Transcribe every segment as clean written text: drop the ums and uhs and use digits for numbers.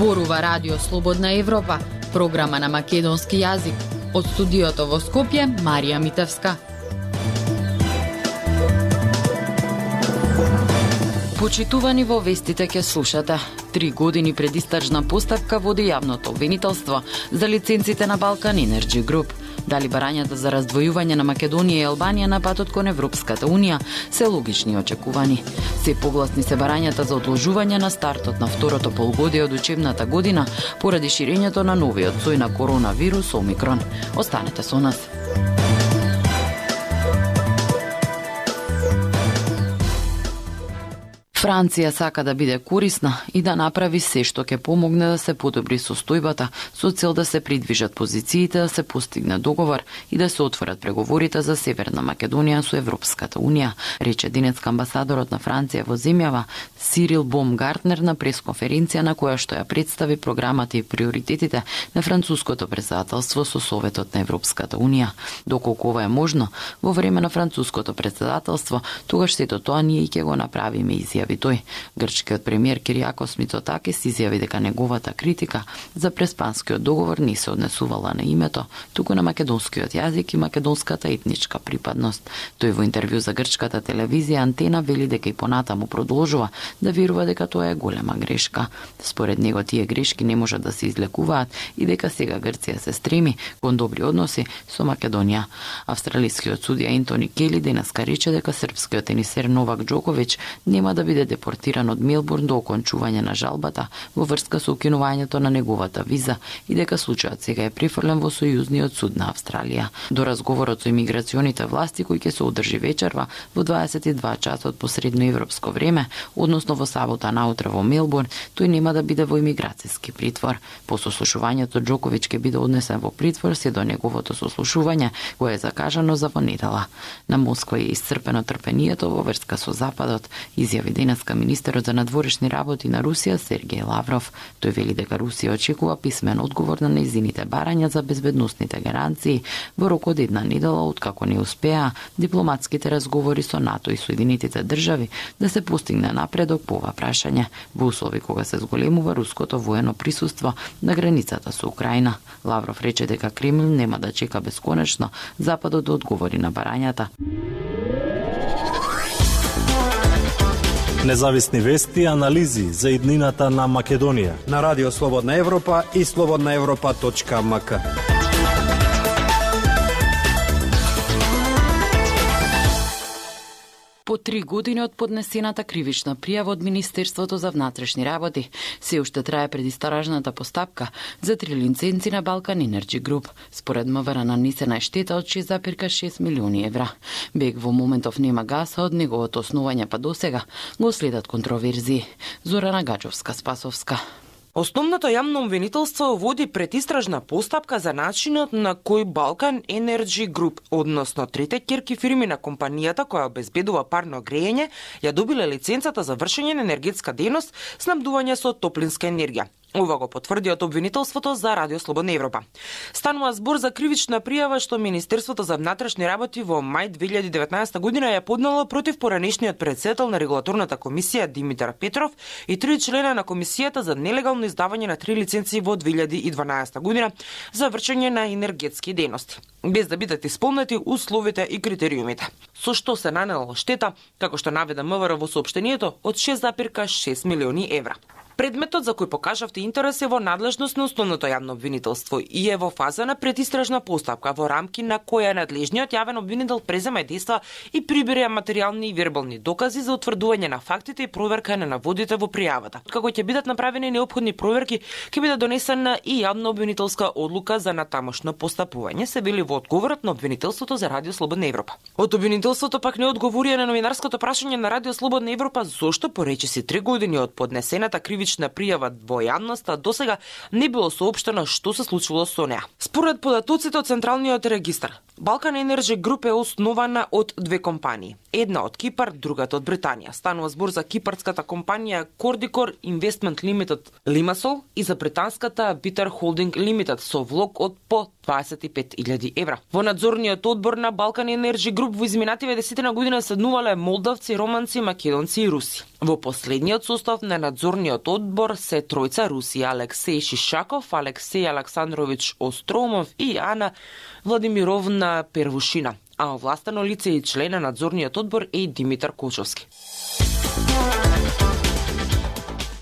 Зборува Радио Слободна Европа, програма на македонски јазик. Од студиото во Скопје, Марија Митевска. Почитувани, во вестите ќе слушате. 3 години предистражна постапка води јавното обвинителство за лиценците на Балкан Енерджи Груп. Дали барањата за раздвојување на Македонија и Албанија на патот кон Европската Унија се логични и очекувани. Се погласни се барањата за одложување на стартот на второто полугодие од учебната година поради ширењето на новиот сој на коронавирус Омикрон. Останете со нас. Франција сака да биде корисна и да направи се што ќе помогне да се подобри состојбата со цел да се придвижат позициите, да се постигне договор и да се отворат преговорите за Северна Македонија со Европската Унија, рече денеска амбасадорот на Франција во земјава Сирил Бомгартнер на пресконференција на која што ја представи програмата и приоритетите на француското претседателство со Советот на Европската Унија. Доколку ова е можно, во време на француското претседателство, тогаш сето тоа ние ќе го направиме, изјави тој. Грчкиот премиер Кириакос Мицотакис изјави дека неговата критика за преспанскиот договор не се однесувала на името, туку на македонскиот јазик и македонската етничка припадност. Тој во интервју за грчката телевизија Антена вели дека и понатаму продолжува да верува дека тоа е голема грешка. Според него тие грешки не можат да се излекуваат и дека сега Грција се стреми кон добри односи со Македонија. Австралискиот судија Ентони Кели денеска рече дека српскиот тенисер Новак Џоковиќ нема да биде депортиран од Мелбурн до окончување на жалбата во врска со укинувањето на неговата виза и дека случајот сега е префрлен во Сојузниот суд на Австралија. До разговорот со имиграционите власти кој ќе се одржи вечерва во 22 часот по средноевропско време, односно во сабота наутре во Мелбурн, тој нема да биде во имиграцијски притвор. По сослушувањето Џоковиќ ќе биде однесен во притвор се до неговото сослушување кое е закажано за во недела. На Москва е исцрпено трпението во врска со Западот, изјави денеска министерот за надворешни работи на Русија Сергеј Лавров. Тој вели дека Русија очекува писмен одговор на нејзините барања за безбедносните гаранции во рок од една недела откако не успеа дипломатските разговори со НАТО и Соединетите држави да се постигне напредок по ова прашање во услови кога се зголемува руското воено присуство на границата со Украина. Лавров рече дека Кремљ нема да чека бесконечно Западот да одговори на барањата. Независни вести и анализи за иднината на Македонија на Радио Слободна Европа и slobodnaevropa.mk. По 3 години од поднесената кривична пријава од Министерството за внатрешни работи, се уште трае предистражната постапка за 3 лиценци на Балкан Енерджи Груп. Според МВР нанесена е штета од 6,6 милиони евра. БЕГ во моментов нема гаса од неговото основање па досега го следат контроверзии. Зорана Гаџовска-Спасовска. Основното јавно обвинителство води предистражна постапка за начинот на кој Балкан Енерджи Груп, односно трите ќерки фирми на компанијата која обезбедува парно грејење, ја добиле лиценцата за вршење на енергетска дејност, снабдување со топлинска енергија. Ова го потврди од обвинителството за Радио Слободна Европа. Станува збор за кривична пријава што Министерството за внатрешни работи во мај 2019 година ја поднело против поранешниот претседател на регулаторната комисија Димитар Петров и 3 члена на комисијата за нелегално издавање на 3 лиценци во 2012 година за вршење на енергетски дејности, без да бидат исполнети условите и критериумите. Со што се нанело штета, како што наведе МВР во соопштението, од 6,6 милиони евра. Предметот за кој покажавте интерес е во надлежност на основното јавно обвинителство и е во фаза на предистражна постапка во рамки на која надлежниот јавен обвинител презема действа и прибира материјални и вербални докази за утврдување на фактите и проверка на наводите во пријавата. Како ќе бидат направени неопходни проверки, ќе биде донесена и јавно обвинителска одлука за натамошно постапување, се вели во одговорот на обвинителството за Радио Слободна Европа. Од обвинителството пак не одговорија на новинарското прашање на Радио Слободна Европа зошто по речиси 3 години од поднесената кривична пријава во јавноста досега не било соопштено што се случило со неа. Според податоците од Централниот регистар, Балкан Енерджи Груп е основана од 2 компании. Една од Кипар, другата од Британија. Станува збор за кипарската компанија Кордикор Investment Limited Limassol и за британската Bitter Holding Limited со влог од по 25.000 евра. Во надзорниот одбор на Балкан Енерджи Груп во изминативе 10 година седнувале молдавци, романци, македонци и руси. Во последниот состав на надзорниот одбор се тројца руси: Алексеј Шишаков, Алексеј Александрович Остромов и Ана Владимировна Первушина. А овластено лице и член на надзорниот одбор е Димитар Кочовски.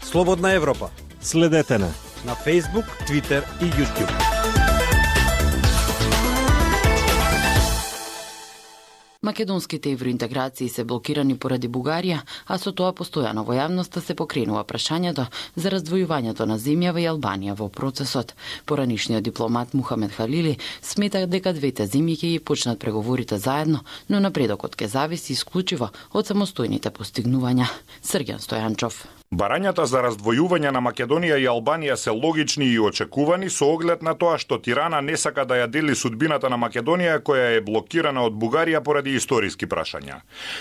Слободна Европа. Следете на Facebook, Twitter и YouTube. Македонските евроинтеграции се блокирани поради Бугарија, а со тоа постојано во јавноста се покренува прашањето за раздвојувањето на земјава и Албанија во процесот. Поранишниот дипломат Мухамед Халили смета дека двете земји ќе ги почнат преговорите заедно, но напредокот ќе зависи исклучиво од самостојните постигнувања. Срѓан Стојанчов. Барањата за раздвојување на Македонија и Албанија се логични и очекувани со оглед на тоа што Тирана не сака да ја дели судбината на Македонија која е блокирана од Бугарија поради историски прашања.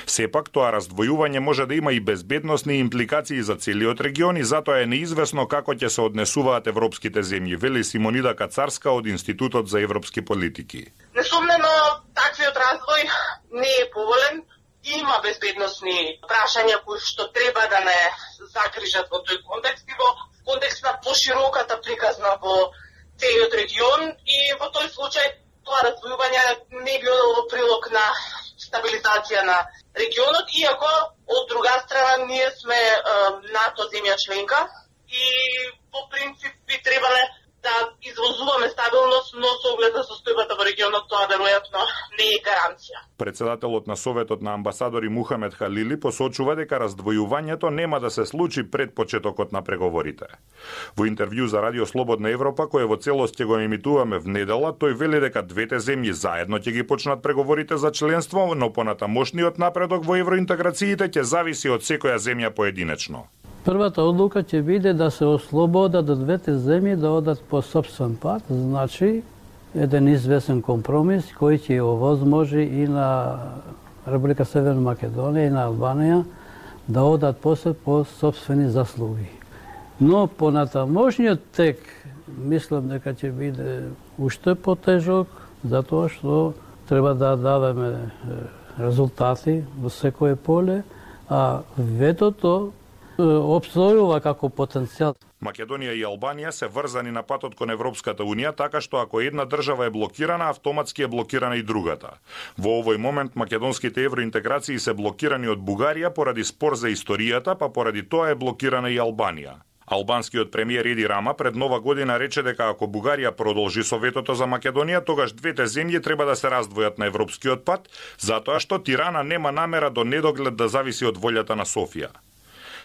Сепак тоа раздвојување може да има и безбедносни импликации за целиот регион и затоа е неизвестно како ќе се однесуваат европските земји, вели Симонида Кацарска од Институтот за европски политики. Несумнено, таквиот раздвој не е поволен. Има безбедносни прашања кои што треба да не загрижат во тој контекст и во контекст на пошироката приказна во целиот регион и во тој случај тоа раздвојување не било во прилог на стабилизација на регионот, иако од друга страна ние сме НАТО земја членка и по принцип би требале да извозуваме стабилност, но со оглед на состојбата во регионот тоа веројатно не е гаранција. Председателот на Советот на амбасадори Мухамед Халили посочува дека раздвојувањето нема да се случи пред почетокот на преговорите. Во интервју за Радио Слободна Европа, кое во целост ќе го емитуваме внедела, тој вели дека двете земји заедно ќе ги почнат преговорите за членство, но понатамошниот напредок во евроинтеграциите ќе зависи од секоја земја поединечно. Првата одлука ќе биде да се ослободат двете земји да одат по сопствен пат, значи еден известен компромис кој ќе овозможи и на Република Северна Македонија и на Албанија да одат после по сопствени заслуги. Но понатамошниот тек мислам дека ќе биде уште потежок, затоа што треба да даваме резултати во секое поле, а ветото обстојува како потенцијал. Македонија и Албанија се врзани на патот кон Европската унија, така што ако една држава е блокирана, автоматски е блокирана и другата. Во овој момент македонските евроинтеграции се блокирани од Бугарија поради спор за историјата, па поради тоа е блокирана и Албанија. Албанскиот премиер Еди Рама пред Нова година рече дека ако Бугарија продолжи со ветото за Македонија, тогаш двете земји треба да се раздвојат на европскиот пат, затоа што Тирана нема намера до недоглед да зависи од волјата на Софија.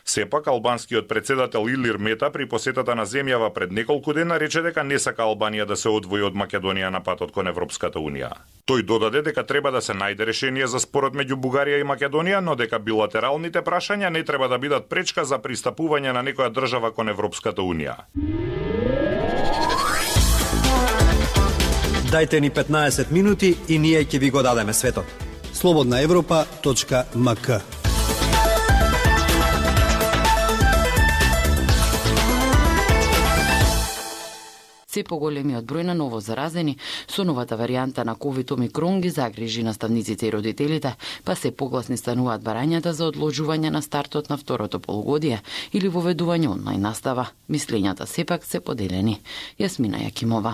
Сепак, албанскиот председател Илир Мета при посетата на земјава пред неколку дена рече дека не сака Албанија да се одвои од Македонија на патот кон Европската унија. Тој додаде дека треба да се најде решение за спорот меѓу Бугарија и Македонија, но дека билатералните прашања не треба да бидат пречка за пристапување на некоја држава кон Европската унија. Дајте ни 15 минути и ние ќе ви го дадеме светот. slobodnaevropa.mk. Се поголемиот број на ново заразени со новата варијанта на COVID Омикрон ги загрижи наставниците и родителите, па се погласни стануваат барањата за одложување на стартот на второто полугодие или воведување онлайн настава. Мислењата сепак се поделени. Јасмина Јакимова.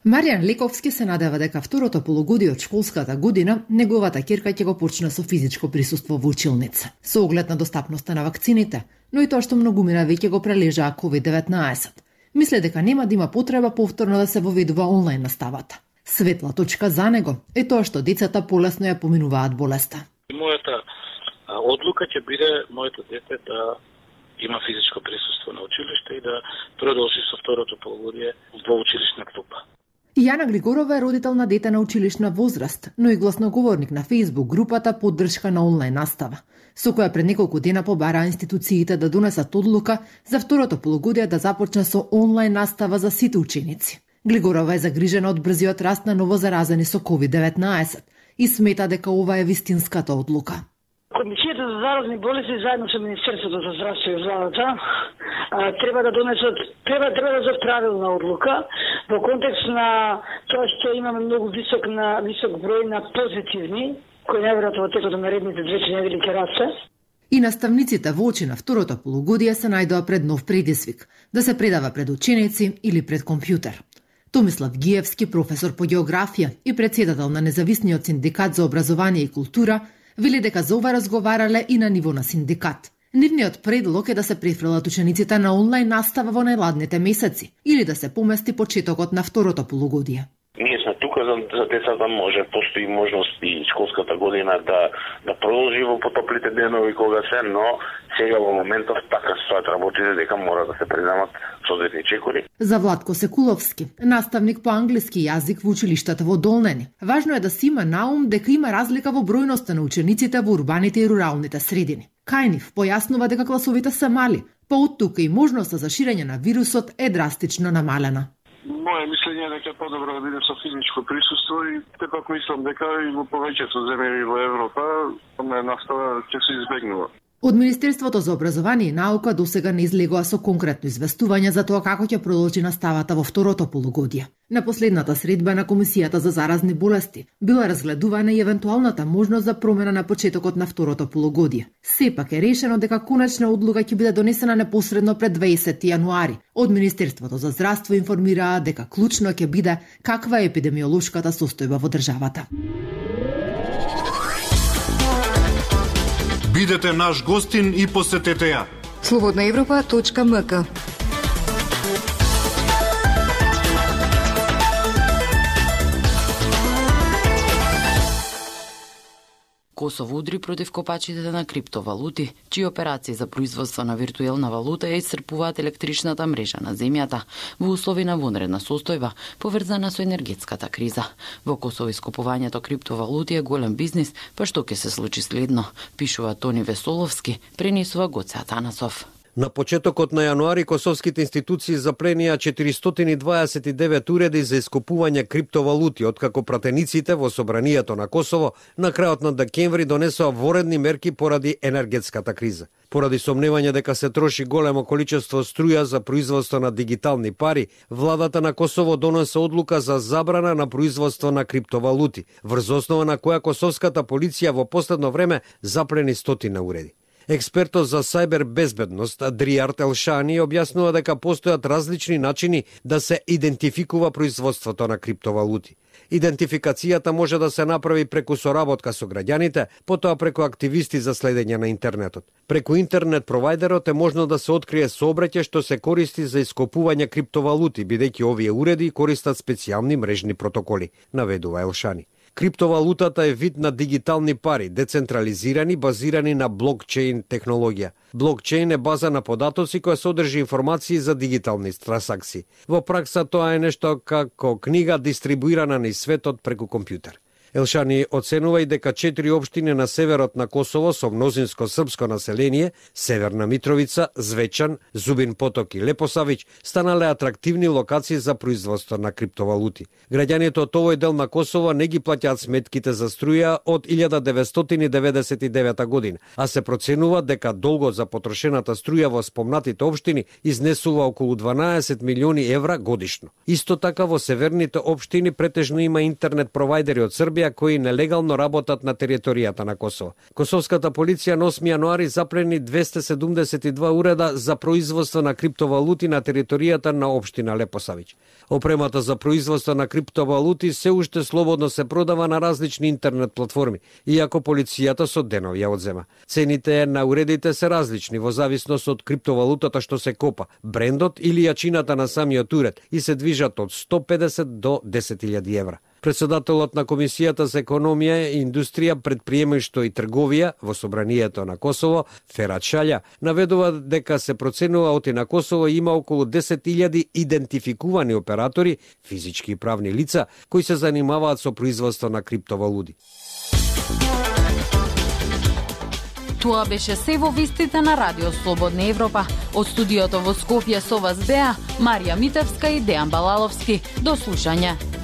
Маријан Лековски се надева дека второто полугодие од школската година неговата ќерка ќе го почне со физичко присуство во училница, со оглед на достапноста на вакцините, но и тоа што многумина веќе го прележаа COVID-19. Мисле дека нема да има потреба повторно да се воведува онлайн наставата. Светла точка за него е тоа што децата полесно ја поминуваат болеста. Мојата одлука ќе биде моето дете да има физичко присуство на училиште и да продолжи со второто полугодие во училишна клупа. Јана Григорова е родител на дете на училишна возраст, но и гласноговорник на Facebook групата Поддршка на онлайн настава, со која пред неколку дена побараа институциите да донесат одлука за второто полугодие да започне со онлайн настава за сите ученици. Григорова е загрижена од брзиот раст на новозаразени со COVID-19 и смета дека ова е вистинската одлука. Комисијата за заразни болести заедно со Министерството за здравство и владата треба да донесат да правилна одлука во контекст на тоа што имаме многу висок број на позитивни кои неверојатно во текот на наредните 2 недели ќе расте. И наставниците во очи на второто полугодие се најдоа пред нов предизвик – да се предава пред ученици или пред компјутер. Томислав Гиевски, професор по географија и председател на Независниот синдикат за образование и култура, вели дека за ова разговарале и на ниво на синдикат. Нивниот предлог е да се префрлат учениците на онлайн настава во најладните месеци или да се помести почетокот на второто полугодие. Ние сме тука за децата, може постои можност и школската година да продолжи во потоплите денови кога се, но сега во моментов така стојат работите дека мора да се преземат соодветни чекори. За Владко Секуловски, наставник по англиски јазик во училиштата во Долнени, важно е да се има на ум дека има разлика во бројноста на учениците во урбаните и руралните средини. Кај нив појаснува дека класовите се мали, па од тука и можноста за ширење на вирусот е драстично намалена. Моје мислење е дека е подобро да биде со физичко присуство и тепак мислам дека и во повеќето земји во Европа онлайн настава ќе се избегнува. Од Министерството за образование и наука досега не излегоа со конкретно известување за тоа како ќе продолжи наставата во второто полугодие. На последната средба на Комисијата за заразни болести била разгледувана и евентуалната можност за промена на почетокот на второто полугодие. Сепак е решено дека конечна одлука ќе биде донесена непосредно пред 20 јануари. Од Министерството за здравство информираа дека клучно ќе биде каква е епидемиолошката состојба во државата. Бидете наш гостин и посетете ја. slobodnaevropa.mk. Косово удри против копачите на криптовалути, чии операции за производство на виртуелна валута ја исцрпуваат електричната мрежа на земјата во услови на вонредна состојба, поврзана со енергетската криза. Во Косово искупувањето криптовалути е голем бизнис, па што ќе се случи следно, пишува Тони Весоловски, пренесува Гоце Атанасов. На почетокот на јануари косовските институции запленија 429 уреди за искупување криптовалути, откако пратениците во собранието на Косово на крајот на декември донесоа воредни мерки поради енергетската криза. Поради сомневање дека се троши големо количество струја за производство на дигитални пари, владата на Косово донесе одлука за забрана на производство на криптовалути, врз основа на која косовската полиција во последно време заплени стотина уреди. Експертот за сајбер безбедност Дриарт Елшани објаснува дека постојат различни начини да се идентификува производството на криптовалути. Идентификацијата може да се направи преку соработка со граѓаните, потоа преку активисти за следење на интернетот. Преку интернет провајдерот е можно да се открие сообраќај што се користи за ископување криптовалути, бидејќи овие уреди користат специјални мрежни протоколи, наведува Елшани. Криптовалутата е вид на дигитални пари, децентрализирани, базирани на блокчейн технологија. Блокчейн е база на податоци која содржи информации за дигитални трансакции. Во пракса тоа е нешто како книга дистрибуирана низ светот преку компјутер. Елшани оценува и дека 4 општини на северот на Косово со мнозинско српско население, Северна Митровица, Звечан, Зубин Поток и Лепосавиќ, станале атрактивни локации за производство на криптовалути. Граѓаните од овој дел на Косово не ги плаќаат сметките за струја од 1999 година, а се проценува дека долгот за потрошената струја во спомнатите општини изнесува околу 12 милиони евра годишно. Исто така во северните општини претежно има интернет провајдери од Србија кои нелегално работат на територијата на Косово. Косовската полиција на 8 јануари заплени 272 уреда за производство на криптовалути на територијата на општина Лепосавиќ. Опремата за производство на криптовалути се уште слободно се продава на различни интернет платформи, иако полицијата со денови ја одзема. Цените на уредите се различни во зависност од криптовалутата што се копа, брендот или јачината на самиот уред и се движат од 150 до 10.000 евра. Председателот на Комисијата за економија и индустрија, предприемаштво и трговија во собранието на Косово, Ферат Шалја, наведува дека се проценува оти на Косово има околу 10.000 идентификувани оператори, физички и правни лица, кои се занимаваат со производство на криптовалути. Тоа беше се во вестите на Радио Слободна Европа. Од студиото во Скопје со вас беа Марија Митевска и Дејан Балаловски. До слушање.